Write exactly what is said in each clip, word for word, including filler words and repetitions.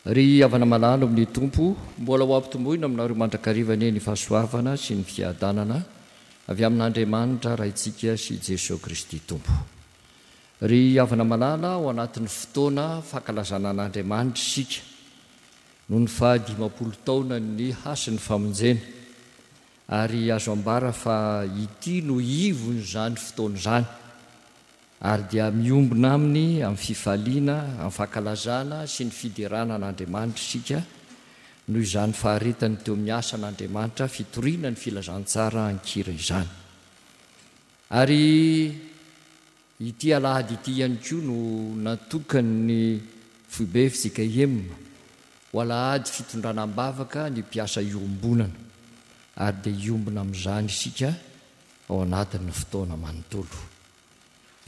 Ry havana malala ao amin'ny Tompo, mbola ho ampitomboina aminareo mandrakariva anie ny fahasoavana sy ny fiadanana avy amin'Andriamanitra Raintsika sy Jesoa Kristy Tompo. Ry havana malala, ao anatin'ny fotoana fankalazana an'Andriamanitra isika noho ny fahadimampolo taonan'ny hasin'ny famonjena, ary azo ambara fa ity no ivon'izany fotoana izany. Ary dia miombona aminy amin'ny fifaliana, amin'ny fankalazana sy ny fiderana an'Andriamanitra isika noho izany faharetany teo amin'ny asan'Andriamanitra fitoriana ny filazantsara an-kira izany. Ary ity alahady ity ihany koa no natokan'ny foibe F J K M ho alahady fitondrana am-bavaka ny mpiasa iombonana, ary dia hiombona amin'izany isika ao anatin'ny fotoana manontolo.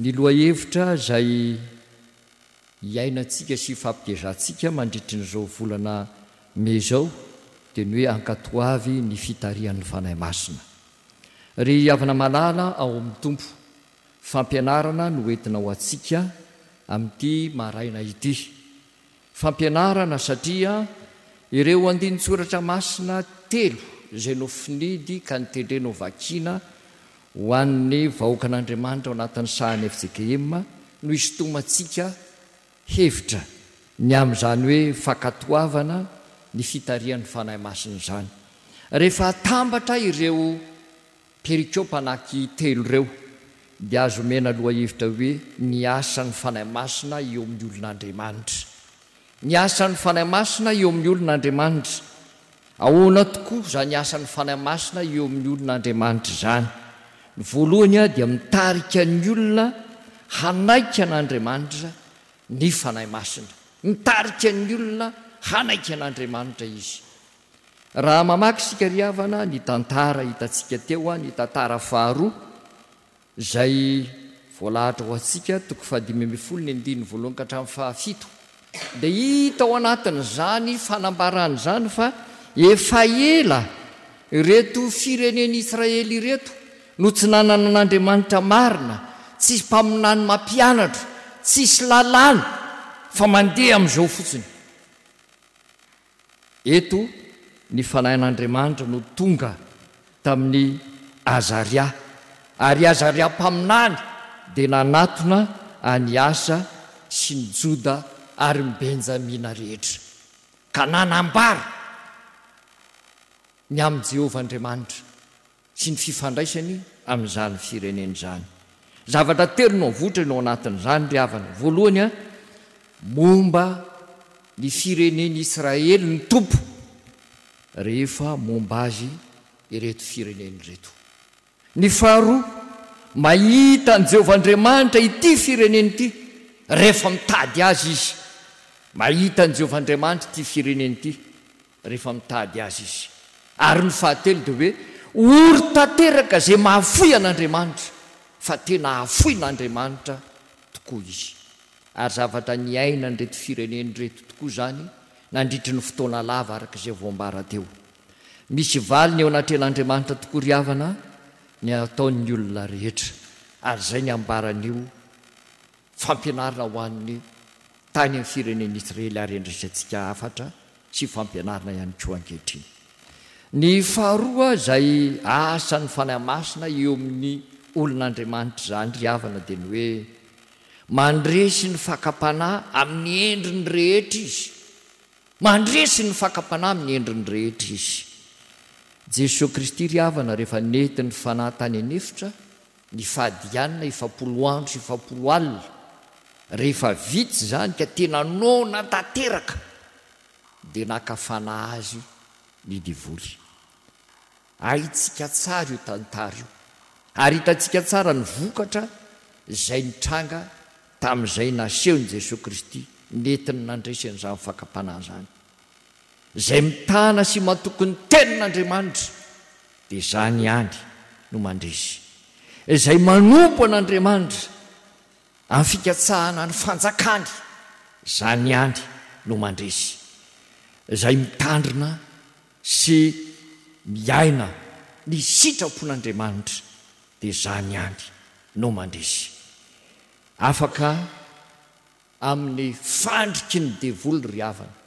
Ny lohahevitra izay iainantsika sy ifampitezantsika mandritry n'izao volana mey izao dia ny hoe ankatoavy ny fitarihan'ny Fanahy Masina. Ry havana malala ao amin'ny Tompo, fampianarana no entina ho antsika amin'ity maraina ity. Fampianarana satria ireo andinin-tsoratra masina telo izay nofinidy ka nitendrena ho vakiana ho an'ny vahoakan'Andriamanitra ao anatin'ny sahan'ny F J K M no isintomantsika hevitra ny amin'izany hoe fankatoavana ny fitarihan'ny Fanahy Masina izany. Rehefa atambatra ireo perikopa anaky telo ireo dia azo omena lohahevitra hoe ny asan'ny Fanahy Masina eo amin'ny olon'Andriamanitra. Ny asan'ny Fanahy Masina eo amin'ny olon'Andriamanitra. Ahoana tokoa izany asan'ny Fanahy Masina eo amin'ny olon'Andriamanitra izany? Ny voalohany dia mitarika ny olona hanaiky an'Andriamanitra ny Fanahy Masina. Mitarika ny olona hanaiky an'Andriamanitra izy. Raha mamaky isika ry havana ny tantara hitantsika teo, ny tantara faharoa izay voalahatra ho antsika, toko fahadimy ambin'ny folo ny andininy voalohany ka hatramin'ny fahafito, dia hita ao anatin'izany fanambarana izany fa efa ela ireto firenen'Israely ireto no tsy nanana an'Andriamanitra marina, tsisy mpaminany mampianatra, tsisy lalàna, fa mandeha amin'izao fotsiny. Eto ny Fanahin'Andriamanitra no tonga tamin'ny Azaria, ary Azaria mpaminany dia nanatona an'i Asa sy ny Joda ary ny Benjamina rehetra, ka nanambara ny amin'i Jehovah Andriamanitra sy ny fifandraisany amin'izany firenena izany. Zavatra telo no avoitra no anatin'izany ry havana. Voalohany, momba ny firenen'Israely ny Tompo rehefa momba azy ireto firenena ireto. Ny faharoa, mahita an'i Jehovah Andriamanitra ity firenena ity rehefa mitady azy izy. Mahita an'i Jehovah Andriamanitra ity firenena ity rehefa mitady azy izy. Ary ny fahatelo dia hoe ory tanteraka izay mahafoy an'Andriamanitra, fa tena hahafoy an'Andriamanitra tokoa izy. Ary zavatra niainan'ireto firenena ireto tokoa izany nandritry ny fotoana lava araka izay voambara teo. Misy valiny eo anatrehan'Andriamanitra tokoa ry havana ny ataon'ny olona rehetra, ary izay ny ambaran'io fampianarana ho an'ny tany amin'ny firenen'Israely ary andraisantsika hafatra sy fampianarana ihany koa ankehitriny. Ny faharoa izay asan'ny Fanahy Masina eo amin'ny olon'Andriamanitra izany ry havana dia ny hoe mandresy ny fakam-panahy amin'ny endriny rehetra izy. Mandresy ny fakam-panahy amin'ny endriny rehetra izy. Jesoa Kristy ry havana rehefa nentin'ny Fanahy tany an'efitra, ny fahadianina efapolo andro sy efapolo alina, rehefa vita izany ka tena noana tanteraka, dia naka fanahy azy ny devoly. Haintsika tsara io tantara io, ary hitantsika tsara ny vokatra izay nitranga tamin'izay nasehon'i Jesoa Kristy nentiny nandresy an'izany fakam-panahy izany. Izay mitana sy matoky ny tenin'Andriamanitra dia izany ihany no mandresy. Izay manompo an'Andriamanitra amin'ny fikatsahana ny fanjakany, izany ihany no mandresy. Izay mitandrina sy miaina ny sitrapon'Andriamanitra dia izany ihany no mandresy. Afaka amin'ny fandriky ny devoly ry havana.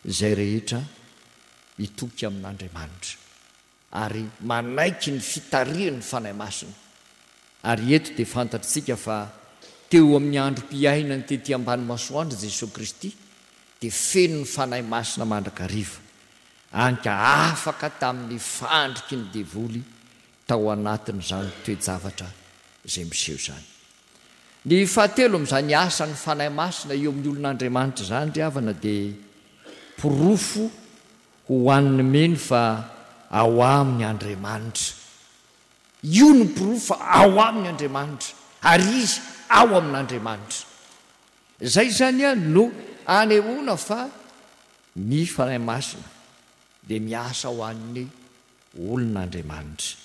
izay rehetra mitoky amin'Andriamanitra ary manaiky ny fitarihan'ny Fanahy Masina. Ary eto dia fantatritsika fa teo amin'ny androm-piainany tety ambany masoandro Jesoa Kristy dia feno ny Fanahy Masina mandrakariva, anka afaka tamin'ny fandriky ny devoly tao anatin'izany toe-javatra izay miseho izany. Ny fahatelo amin'izany asan'ny Fanahy Masina eo amin'ny olon'Andriamanitra izany ry havana dia porofo ho an'ny mino fa ao aminy Andriamanitra. Io no porofo fa ao aminy Andriamanitra ary izy ao amin'Andriamanitra. Izay izany no anehoana fa ny Fanahy Masina dia miasa ho an'ny olon'Andriamanitra.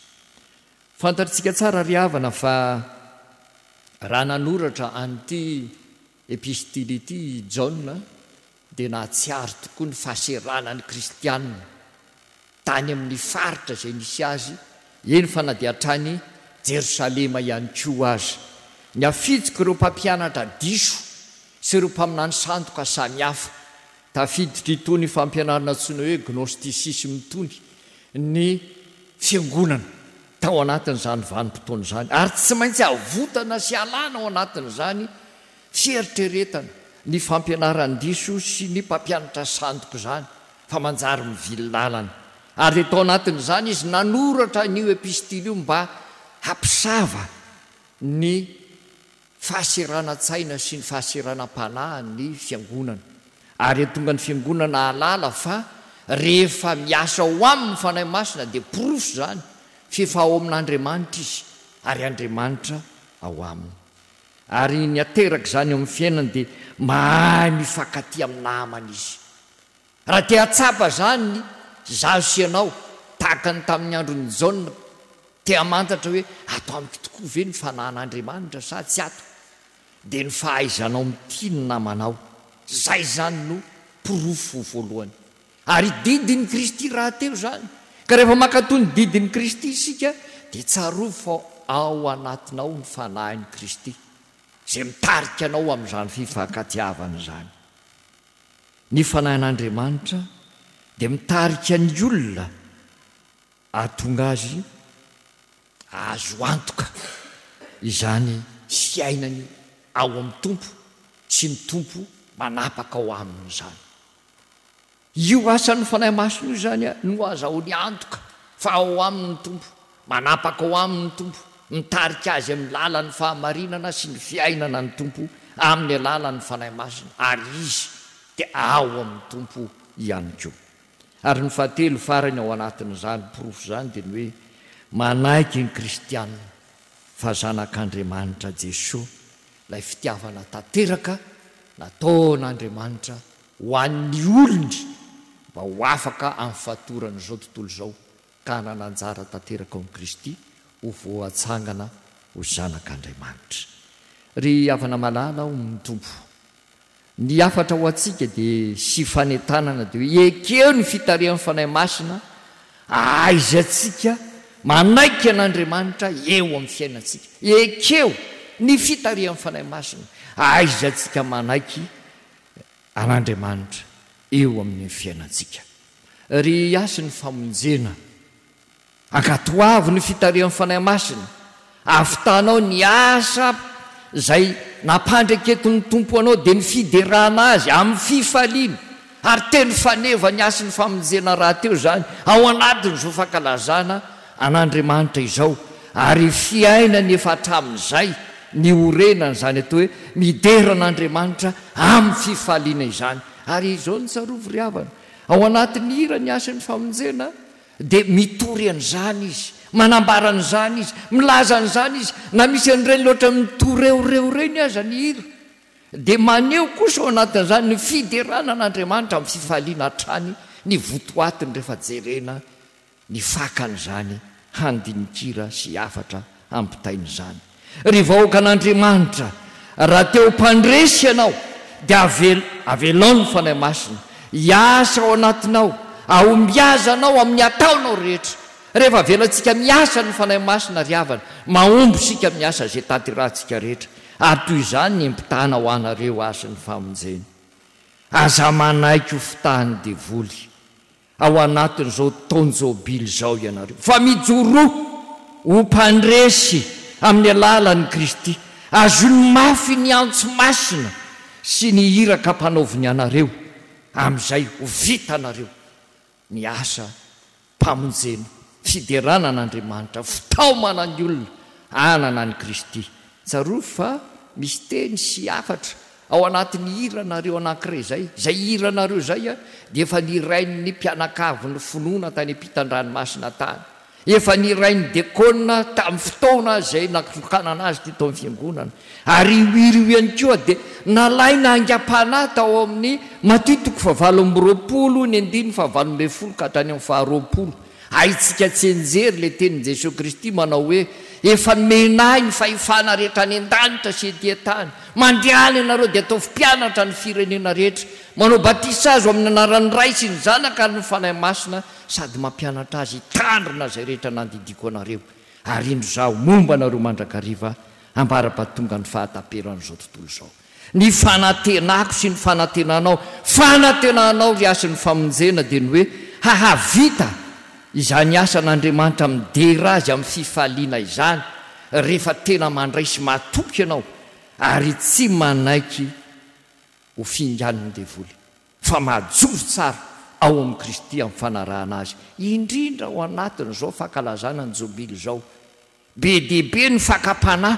Fantatritsika tsara ry havana fa raha nanoratra an'ity epistily ity i Jaona dia nahatsiaro tokoa ny fahaseranan'ny kristianina tany amin'ny faritra izay nisy azy, eny fa na dia hatrany Jerosalema ihany koa aza. Ny afitsiko ireo mpampianatra diso sy ireo mpaminany sandoka samihafa, tafiditra itony fampianarana antsoina hoe gnosticisme itony ny fiangonana tao anatin'izany vanim-potoana izany, ary tsy maintsy avotana sy alana ao anatin'izany fieritreretana ny fampianaran-diso sy ny mpampianatra sandoka izany fa manjary mivily lalana. Ary dia tao anatin'izany izy nanoratra an'io epistily io mba hampisava ny fahaseranan-tsaina sy ny fahaseranam-panahy ny fiangonana. Ary tonga ny fiangonana hahalala fa rehefa miasa ao aminy ny Fanahy Masina dia porofo izany fa efa ao amin'Andriamanitra izy ary Andriamanitra ao aminy. Ary ny ateraka izany eo amin'ny fiainany dia mahay mifankatia amin'ny namana izy. Raha te hahatsapa izany izaho sy ianao, tahaka ny tamin'ny andron'i Jaona, te hamantatra hoe ato amiko tokoa ve ny fanahin'Andriamanitra sa tsy ato, dia ny fahaizanao mitia ny namanao. Izay izany no porofo voalohany. Ary didin'i Kristy rahateo izany. Ka rehefa mankatò ny didin'i Kristy isika dia tsarovy fa ao anatinao ny fanahin'i Kristy izay mitarika anao amin'izany fifankatiavana izany. Ny fanahin'Andriamanitra dia mitarika ny olona hahatonga azy hahazo antoka izany fiainany ao amin'ny Tompo sy ny Tompo manapaka ao aminy izany. Io asan'ny Fanahy Masina io izany no azahoany antoka fa ao aminy ny Tompo, manapaka ao aminy ny Tompo, mitarika azy amin'ny lalan'ny fahamarinana sy ny fiainana ny Tompo amin'ny alalan'ny Fanahy Masina, ary izy dia ao amin'ny Tompo ihany koa. Ary ny fahatelo farany ao anatin'izany porofo izany dia ny hoe manaiky ny kristianina fa zanak'Andriamanitra Jesoa, ilay fitiavana tanteraka nataon'Andriamanitra ho an'ny olony mba ho afaka amin'ny fatoran'izao tontolo izao ka hanana anjara tanteraka ao amin'i Kristy ho voatsangana ho zanak'Andriamanitra. Ry havana malala ao amin'ny Tompo, ny hafatra ho antsika dia sy fanentanana dia hoe ekeo ny fitarihan'ny Fanahy Masina ahaizantsika manaiky an'Andriamanitra eo amin'ny fiainantsika. Ekeo ny fitarihan'ny Fanahy Masina ahaizantsika manaiky an'Andriamanitra eo amin'ny fiainantsika. Ry hasin'ny famonjena, ankatoavy ny fitarihan'ny Fanahy Masina, ahavitanao ny asa izay nampandreketin'ny Tompo anao dia ny fiderana azy amin'ny fifaliana, ary teny faneva ny hasin'ny famonjena rahateo izany ao anatin'izao fankalazana an'Andriamanitra izao, ary fiainany efa hatramin'izay niorenana izany atao hoe midera an'Andriamanitra amin'ny fifaliana izany. Ary izao no tsarovy ry havana, ao anatin'ny hira ny hasin'ny famonjena dia mitory an'izany izy, manambara an'izany izy, milaza an'izany izy, na misy an'ireny loatra mitoreoreo ireny aza ny hira dia maneho kosa ao anatin'izany ny fiderana an'Andriamanitra amin'ny fifaliana hatrany ny votoatiny rehefa jerena ny fakan'izany handinikira sy hafatra ampitain'izany. Ry vahoakan'Andriamanitra, raha te ho mpandresy ianao dia avel-, avelao ny Fanahy Masina hiasa ao anatinao, ahombiazanao amin'ny ataonao rehetra. Rehefa avelantsika miasa ny Fanahy Masina ry havana, mahomby isika miasa izay tanterahantsika rehetra, ary toy izany ny empitana ho anareo azy ny famonjena. Aza manaiky ho fitahan'ny devoly ao anatin'izao taon-jobily izao ianareo, fa mijoroa ho mpandresy amin'ny alalan'i Kristy. Azony mafy ny antso masina sy ny iraka ampanaoviny anareo, amin'izay ho vitanareo ny asa mpamonjena, fiderana an'Andriamanitra, fitaomana ny olona hanana an'i Kristy. Tsarovy fa misy teny sy hafatra ao anatin'ny hiranareo anankiray izay. Izay hiranareo izay dia efa nirain'ny mpianakavin'ny finoana tany ampitan-dranomasina tany. Efa nirain'ny dekona tamin'ny fotoana izay natokanana azy teto amin'ny fiangonana. Ary io hira io ihany koa dia nalaina haingam-panahy tao amin'ny Matio toko fahavalo amby roapolo, ny andininy fahavalo ambin'ny folo ka hatrany amin'ny faharoapolo. Haintsika tsianjery ilay tenin'i Jesoa Kristy manao hoe, Efa nomena ahy ny fahefana rehetra any an-danitra sy ety an-tany. Mandehana ianareo dia ataovy mpianatra ny firenena rehetra. Manao batisa azy ho amin'ny anaran'ny Ray sy ny Zanaka ary ny Fanahy Masina sady mampianatra azy hitandrina izay rehetra nandidiako anareo. Ary indro Izaho momba anareo mandrakariva ambara-pahatongan'ny fahataperan'izao tontolo izao. Ny fanantenako sy ny fanantenanao, fanantenanao ry hasin'ny famonjena dia ny hoe hahavita izany asan'Andriamanitra midera Azy amin'ny fifaliana izany rehefa tena mandray sy matoky ianao ary tsy manaiky ho finganin'ny devoly fa majoro tsara ao amin'i Kristy amin'ny fanarahana Azy, indrindra ao anatin'izao fankalazana ny Jobily izao. Be dia be ny fakam-panahy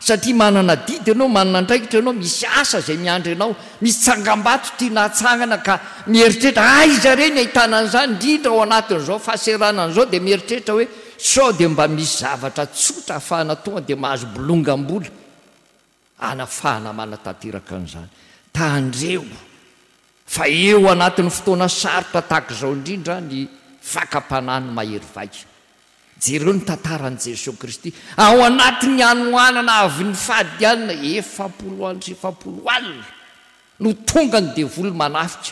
satria manana adidy ianao, manana andraikitra ianao, misy asa izay miandry anao, misy tsangambato tiana hatsangana ka mieritreritra aiza re ny ahitana an'izany, indrindra ao anatin'izao fahaseranana izao dia mieritreritra hoe sao dia mba misy zavatra tsotra ahafahana tonga dia mahazo bolongam-bola hanafahana manatanteraka an'izany. Tandremo fa eo anatin'ny fotoana sarotra tahaka izao indrindra ny fakam-panahy no mahery vaika. Jereo ny tantaran'i Jesoa Kristy ao anatin'ny hanoanana avy nifady alina, efapolo andro sy efapolo alina no tonga ny devoly manafika,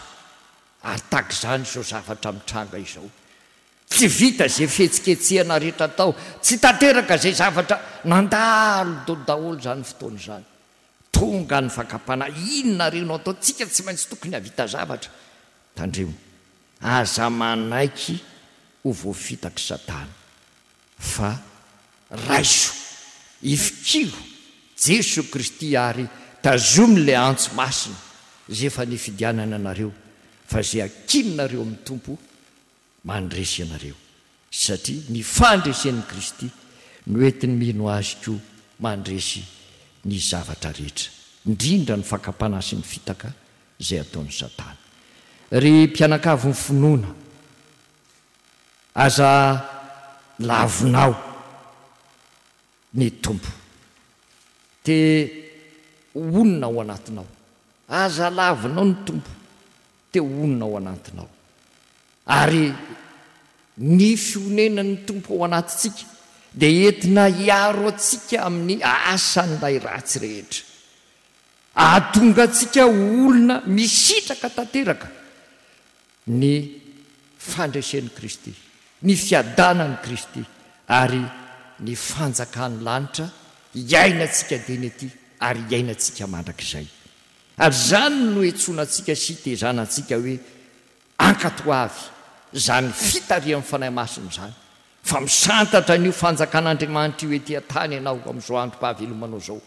ary tahaka izany izao zavatra mitranga izao. Tsy vita izay fihetsiketsehana rehetra atao, tsy tanteraka izay zavatra nandalo daholo izany fotoana izany. Tonga ny fakam-panahy, inona re no ataontsika, tsy maintsy tokony hahavita zavatra. Tandremo, aza manaiky ho voafitak'i Satana, fa raiso, ifikiro Jesoa Kristy ary tazomy ilay antso masina izay efa nifidianana anareo, fa izay ankininareo amin'ny Tompo mandresy anareo, satria ny fandresen'i Kristy no entin'ny mino Azy koa mandresy ny zavatra rehetra, indrindra ny fakam-panahy sy ny fitaka izay ataon'i Satana. Ry mpianakavin'ny finoana, aza lavinao ny Tompo. Te honina ao anatinao. Aza lavinao ny Tompo. Te honina ao anatinao. Ary ny fionenan'ny Tompo ao anatintsika dia entina hiaro antsika amin'ny asan'ilay ratsy rehetra. Hahatonga antsika ho olona misitraka tanteraka ny fandresen'i Kristy, ny fiadanan'i Kristy ary ny fanjakan'ny lanitra hiainantsika dieny ety ary hiainantsika mandrakizay. Ary izany no iantsoana antsika sy itezana antsika hoe ankatoavy izany fitarihan'ny Fanahy Masina izany, fa misantatra an'io fanjakan'Andriamanitra io ety an-tany ianao amin'izao androm-pahavelomanao izao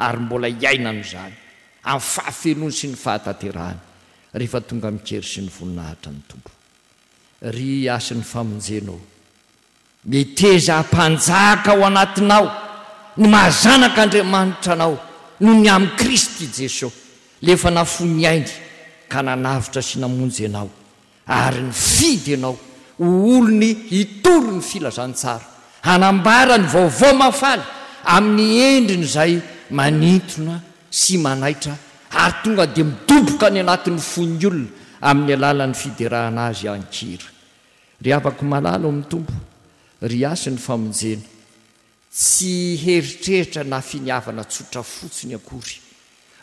ary mbola hiainana izany amin'ny fahafenoany sy ny fahatanterahany rehefa tonga amin-kery sy ny voninahitra ny Tompo. Ry hasin'ny famonjena ô, meteza hampanjaka ao anatinao ny maha zanak'Andriamanitra anao noho ny amin'i Kristy Jesoa, ilay efa nafoy ny ainy ka nanavotra sy namonjy anao ary nifidy anao ho olony hitory ny filazantsara, hanambara ny vaovao mahafaly amin'ny endriny izay manintona sy manaitra ary tonga dia midoboka any anatin'ny fon'ny olona amin'ny alalan'ny fiderana azy an-kira. Ry havako malala ao amin'ny Tompo, ry hasin'ny famonjena, tsy heritreritra na finiavana tsotra fotsiny akory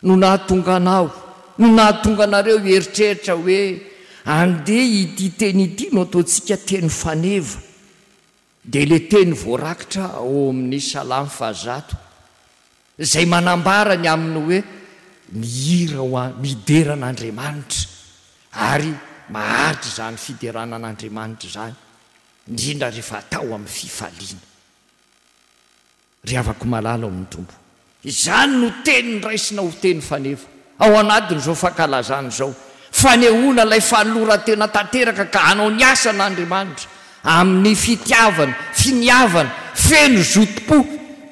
no nahatonga anao, no nahatonga anareo hieritreritra hoe andeha ity teny ity no ataontsika teny faneva. Dia ilay teny voarakitra ao amin'ny Salamo fahazato, izay manambara ny amin'ny hoe mihira ho an, midera an'Andriamanitra ary maharitra izany fiderana an'Andriamanitra izany, indrindra rehefa atao amin'ny fifaliana. Ry havako malala ao amin'ny Tompo, izany no teny raisina ho teny faneva ao anatin'izao fankalazana izao, fanehoana ilay fanoloran-tena tanteraka ka hanao ny asan'Andriamanitra amin'ny fitiavana, finiavana, feno zotom-po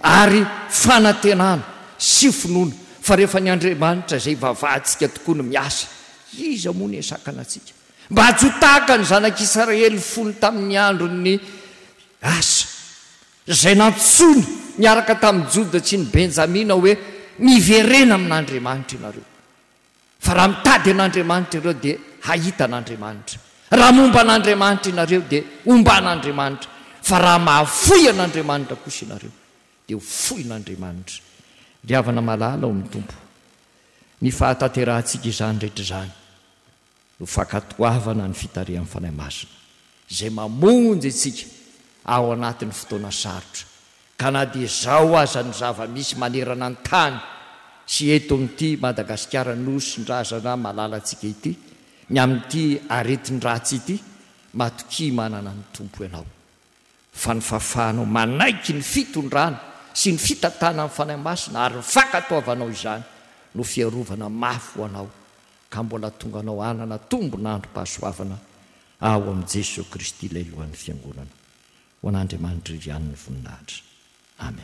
ary fanantenana sy finoana fa rehefa ny Andriamanitra izay ivavahantsika tokoa no miasa, iza moa no hisakana antsika? Mba tsy ho tahaka ny zanak'Israely fony tamin'ny andron'ny asa. Izay nantsoiny niaraka tamin'i Joda sy ny Benjamina hoe, Miverena amin'Andriamanitra ianareo. Fa raha mitady an'Andriamanitra ianareo dia hahita an'Andriamanitra. Raha momba an'Andriamanitra ianareo dia homba an'Andriamanitra. Fa raha mahafoy an'Andriamanitra kosa ianareo dia ho foin'Andriamanitra. Ry havana malala ao amin'ny Tompo, ny fahatanterahantsika izany rehetra izany no fankatoavana ny fitarihan'ny Fanahy Masina, izay mamonjy antsika ao anatin'ny fotoana sarotra, ka na dia izao aza ny zava-misy manerana ny tany sy eto amin'ity Madagasikara Nosin-drazana malalantsika ity, ny amin'ity aretin-dratsy ity, matokia manana ny Tompo ianao, fa ny fahafahanao manaiky ny fitondrana sy ny fitantanan'ny Fanahy Masina ary ny fankatoavanao izany no fiarovana mafy ho anao ka mbola tonga anao hanana tombon'androm-pahasoavana ao amin'i Jesoa Kristy ilay Lohan'ny Fiangonana. Ho an'Andriamanitra irery ihany ny voninahitra. Amen.